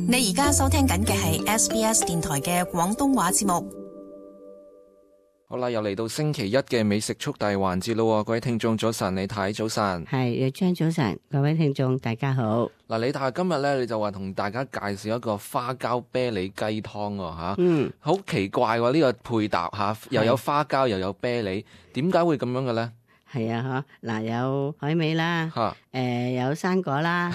你而家收聽緊嘅係 SBS 電台嘅廣東話節目。好啦，又嚟到星期一嘅美食速遞環節咯，各位聽眾早晨，李太早晨，係張早晨，各位聽眾大家好。嗱，李太今日咧，你就話同大家介紹一個花膠啤梨雞湯喎吓，好奇怪喎呢個配搭吓，又有花膠又有啤梨，點解會咁樣嘅咧？係啊，嗱，有海味啦，有生果啦，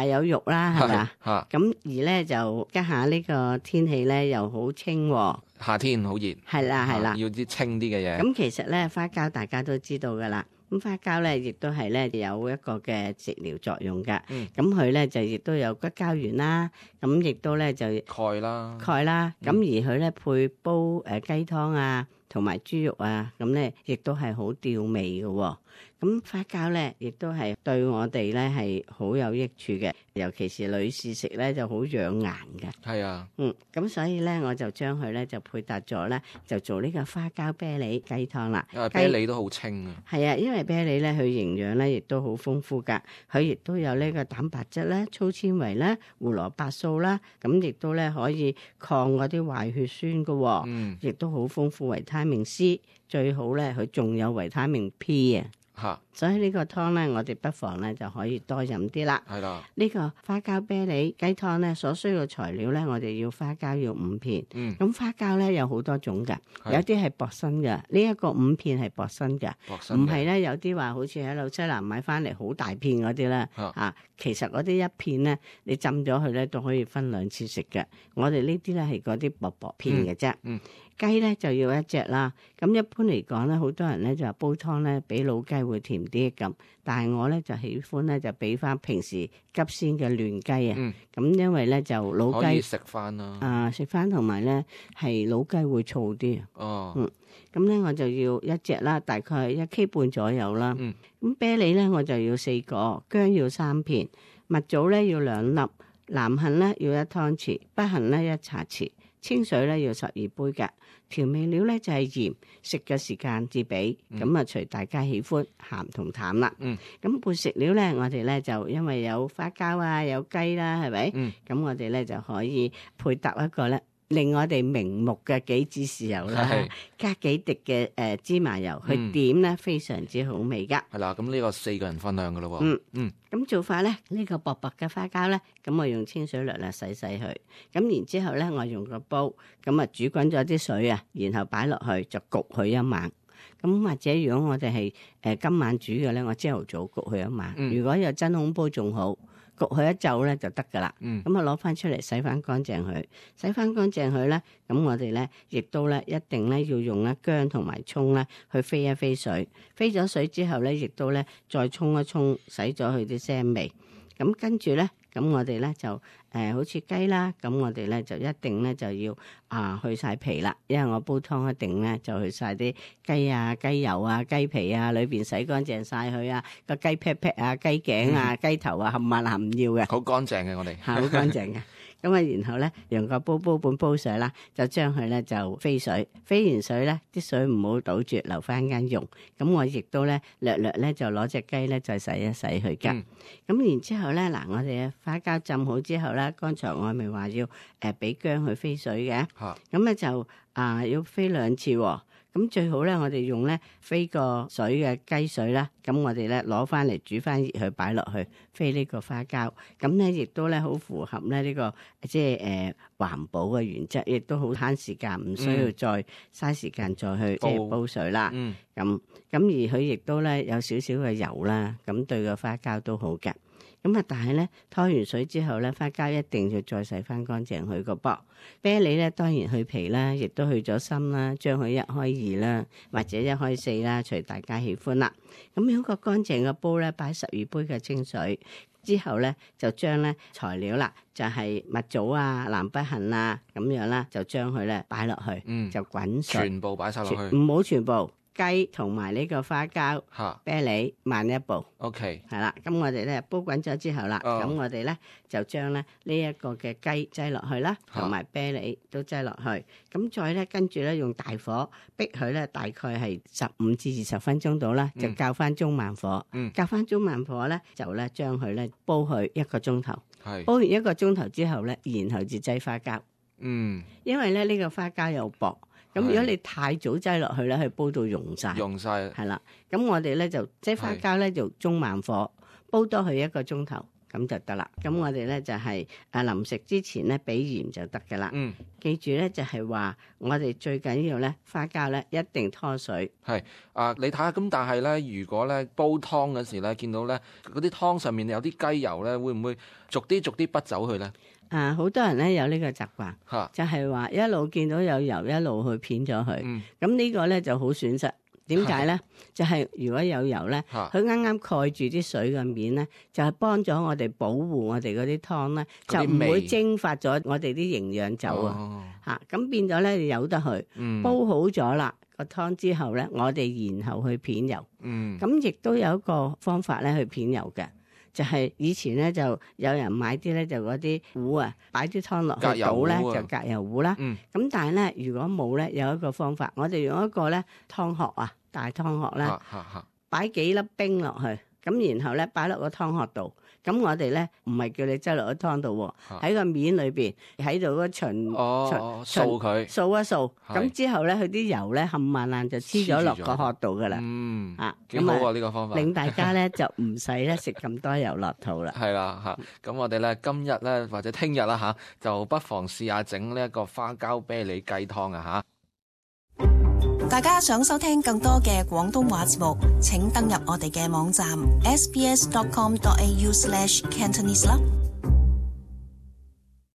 有肉啦，係咪啊？咁而咧就家下呢個天氣咧又好清喎，夏天好熱，係啦，要啲清啲嘅嘢。咁其實咧花膠大家都知道噶啦，咁花膠咧亦都係咧有一個嘅食療作用噶，咁佢咧就亦都有骨膠原啦，咁亦都咧就鈣啦，咁而佢咧配煲雞湯啊，同埋豬肉啊，咁咧亦都係好吊味嘅喎。咁花膠咧，亦都係對我哋咧係好有益處嘅，尤其是女士食咧就好養顏嘅。係啊，咁所以咧我就將佢咧就配搭咗咧，就做呢個花膠啤梨雞湯啦。因為啤梨都好清啊。係啊，因為啤梨咧佢營養咧亦都好豐富㗎，佢亦都有呢個蛋白質啦、粗纖維啦、胡蘿蔔素啦，咁亦都咧可以抗嗰啲壞血酸㗎喎。亦都好豐富維他命 C， 最好咧佢仲有維他命 P 啊。所以呢個湯咧，我哋不妨咧就可以多飲啲啦。係啦，呢個花膠啤梨雞湯咧，所需嘅材料咧，我哋要花膠要5片。咁花膠咧有好多種㗎，有啲係薄身㗎。呢一個5片係薄身㗎，唔係咧有啲話好似喺紐西蘭買翻嚟好大片嗰啲咧嚇。其實嗰啲一片咧，你浸咗佢咧都可以分2次食嘅。我哋呢啲咧係嗰啲薄薄片嘅啫。雞咧就要1隻啦。咁一般嚟講咧，好多人咧就話煲湯咧比老雞會甜啲咁，但係我咧就喜歡咧就俾翻平時急鮮嘅嫩雞啊。咁因為咧就老雞可以食翻啦。食翻同埋咧係老雞會燥啲。咁咧我就要1隻啦，大概1 K 半左右啦。咁啤梨咧我就要4個，薑要3片，蜜棗咧要2粒，南杏咧要1湯匙，北杏咧1茶匙。清水咧要12杯嘅，調味料咧就係鹽，食嘅時間至俾，咁啊隨大家喜歡鹹同淡啦。咁配食料咧，我哋咧就因為有花膠啊，有雞啦，係咪？咁我哋咧就可以配搭一個咧，令我哋明目嘅杞子豉油啦，加幾滴嘅芝麻油去點咧，非常之好味噶。係啦，咁呢個4個人分量噶咯喎。咁做法咧，呢個薄薄嘅花膠咧，咁我用清水略略洗佢，咁然之後咧，我用個煲，咁啊煮滾咗啲水啊，然後擺落去就焗佢一晚。咁或者如果我哋係今晚煮嘅咧，我朝頭早焗佢一晚。如果有真空煲仲好。焗佢一晝咧就得噶啦，咁啊攞翻出嚟洗翻乾淨佢，洗翻乾淨佢咧，咁我哋咧亦都咧一定咧要用咧薑同埋蔥咧去飛一飛水，飛咗水之後咧，亦都咧再沖一沖，洗咗佢啲腥味，咁跟住咧。咁我哋咧就好似雞啦，咁我哋咧就一定咧就要去晒皮啦，因為我煲湯一定咧就去晒啲雞啊、雞油啊、雞皮啊，裏邊洗乾淨晒佢啊，個雞劈劈啊、雞頸啊、雞頭啊，冚唪唥唔要嘅，好乾淨嘅我哋，好乾淨嘅。咁啊，然後咧用個煲半煲水啦，就將佢咧就飛水，飛完水咧啲水唔好倒住，留翻間溶。咁我亦都咧略咧就攞隻雞咧再洗一洗佢㗎。咁然之後咧嗱，我哋嘅花膠浸好之後咧，剛才我咪話要俾薑去飛水嘅，咁咧就要飛2次喎。咁最好咧，我哋用咧飛過水嘅雞水啦，咁我哋咧攞翻嚟煮翻熱佢擺落去飛呢個花膠，咁咧亦都咧好符合咧呢個即係環保嘅原則，亦都好慳時間，唔需要再嘥時間再去即係煲水啦。咁而佢亦都咧有少少嘅油啦，咁對個花膠都好嘅。咁啊，但係咧拖完水之後咧，花膠一定要再洗翻乾淨佢個噃。啤梨咧當然去皮啦，亦都去咗心啦，將佢1開2啦，或者1開4啦，隨大家喜歡啦。咁用個乾淨嘅煲咧，擺12杯嘅清水之後咧，就將咧材料啦，就係蜜棗啊、南北杏啊咁樣啦，就將佢咧擺落去，就滾水，全部擺晒落去，唔好全部。雞同埋呢個花膠啤梨慢一步 ，OK， 係啦。咁我哋咧煲滾咗之後啦，咁我哋咧就將咧呢一個嘅雞擠落去啦，同埋啤梨都擠落去。咁再咧跟住咧用大火逼佢咧，大概係15至20分鐘到啦，就較翻中慢火。較翻中慢火咧，就咧將佢咧煲佢1個鐘頭。係煲完1個鐘頭之後咧，然後至擠花膠。因為咧呢個花膠又薄，咁如果你太早擠落去咧，佢煲到溶晒，係啦。咁我哋咧就擠花膠咧就中慢火煲多佢1個鐘頭。咁就得啦。咁我哋咧就係臨食之前咧俾鹽就得噶啦。記住咧就係話我哋最緊要咧花膠咧一定拖水。係你睇下咁，但係咧如果咧煲湯嗰時咧見到咧嗰啲湯上面有啲雞油咧，會唔會逐啲筆走去咧？好多人咧有呢個習慣，就係話一路見到有油一路去片咗佢。咁呢個咧就好損失。點解咧？就係如果有油咧，佢啱啱蓋住啲水嘅面咧，就係幫咗我哋保護我哋嗰啲湯咧，就唔會蒸發咗我哋啲營養走啊！咁變咗咧，由得佢煲好咗啦個湯之後咧，我哋然後去片油。咁亦都有一個方法咧去片油嘅，就係以前咧就有人買啲咧就嗰啲壺啊，擺啲湯落去倒咧就隔油壺啦。咁但係咧如果冇咧，有一個方法，我哋用一個咧湯殼啊。大湯殼咧，擺幾粒冰落去，咁然後咧擺落個湯殼度，咁我哋咧唔係叫你擠落個湯度，喺個面裏邊喺度個掃佢，掃一掃，咁之後咧佢啲油咧冚唪唥就黐咗落個殼度噶啦。幾好啊呢個方法，令大家咧就唔使咧食咁多油落肚啦。係啦咁我哋咧今日咧或者聽日啦就不妨試下整呢一個花膠啤梨雞湯啊。大家想收聽更多嘅廣東話節目，請登入我哋嘅網站 sbs.com.au/cantonese 啦。